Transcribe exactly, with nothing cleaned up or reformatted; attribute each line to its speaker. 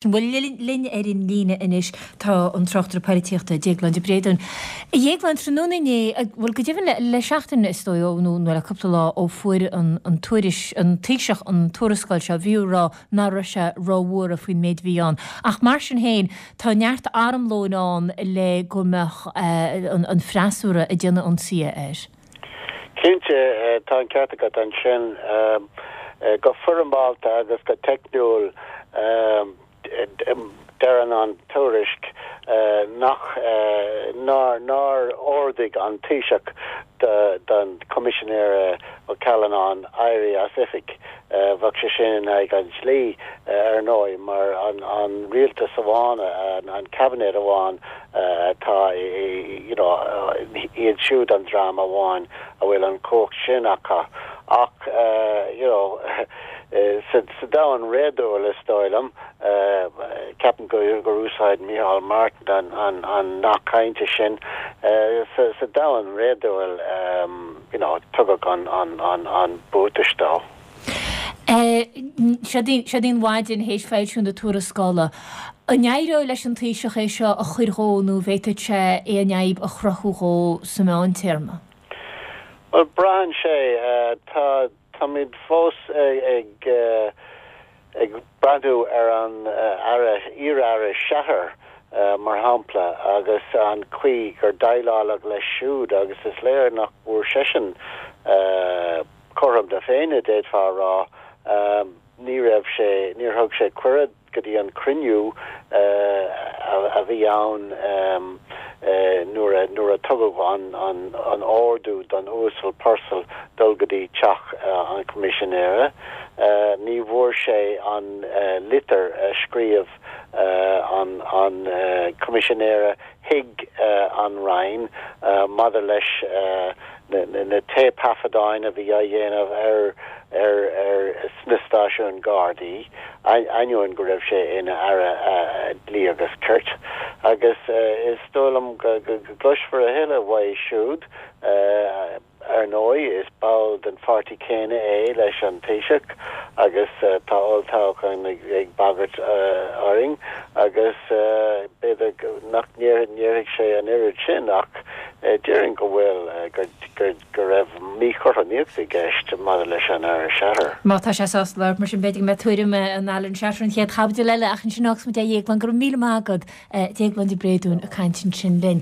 Speaker 1: Bhuel, linn ar an líne anois tá an tráchtaire polaitíochta Déaglán de Bréadún. A Dhéagláin, tráthnóna inné, bhuel go deimhin le seachtain is dóigh ó nó le cúpla lá ó fuair an an tuairis an Taoiseach an tuarascáil seo, bhí á rá nach raibh sé róbhuartha faoin méid a bhí ann. Ach mar sin féin, tá neart armlóin ann le go mbeadh an freasúra ag déanamh ionsaithe air.
Speaker 2: Cinnte, tá an ceart agat ansin. Go foirmeálta agus go teicniúil, deireann an tuairisc nach nár nár ordaigh an Taoiseach don Choimisinéir Ó Callanáin éirí as oifig. Bheadh sé sin in aghaidh an dlí, ar ndóigh, mar an rialtas amháin, an cabinet amháin atá you know iad siúd an dream amháin a bhfuil an chumhacht sin acu. Ach you know sa domhan réadúil, is dóigh liom, ceapaim gur úsáid Micheál Martin an nath cainte sin, sa domhan réadúil, you know, tugadh an buatais dó.
Speaker 1: Siod í an mhaidin théis foilsiú na tuarascála. An éireoidh leis an Taoiseach é seo a chur dhó nó an bhféadfadh sé aon fhadhb a chruthú dhó sa mheántéarma?
Speaker 2: Bhuel, braitheann sé. Tá Táimid fós ag ag breathnú ar an Aire, iar-Aire Shatter, mar shampla, agus an chaoi gur déileáladh leis siúd agus is léir nach bhfuair seisean cothrom na Féinne, d'fhéadfá a rá. Ní raibh sé, níor thug sé cuireadh go dtí an cruinniú a bhí ann nuair a nuair a tugadh an an ordú don Uasal Purcell dul go dtí teach an Choimisinéara. Ní bhfuair sé an litir a scríobh an an Coimisinéara chuig an Roinn maidir leis na téipthaifeadáin a bhí á dhéanamh ar ar ar sna stáisiúin Gardaí, ainneoin go raibh sé ina Aire Dlí agus Cirt. Agus is dóigh liom go gcloisfear a thuilleadh uaidh siúd. Ar ndóigh, is ball den pháirtí céanna é leis an Taoiseach agus tá olltoghchán ag bagairt orainn agus b'fhéidir nach ndéarfaidh sé an oiread sin ach déarfainn go bhfuil, go raibh míchothromaíocht i gceist maidir leis an Aire Shatter.
Speaker 1: Má tá sé sásta labhairt mar sin, b'fhéidir go mbeidh tuairim an Alan Shatter an chéad chaibidil eile ach ansin fágfaidh muid é a Dhéagláin. Go raibh míle maith agat, Déaglán de Bréadún ag caint ansin linn.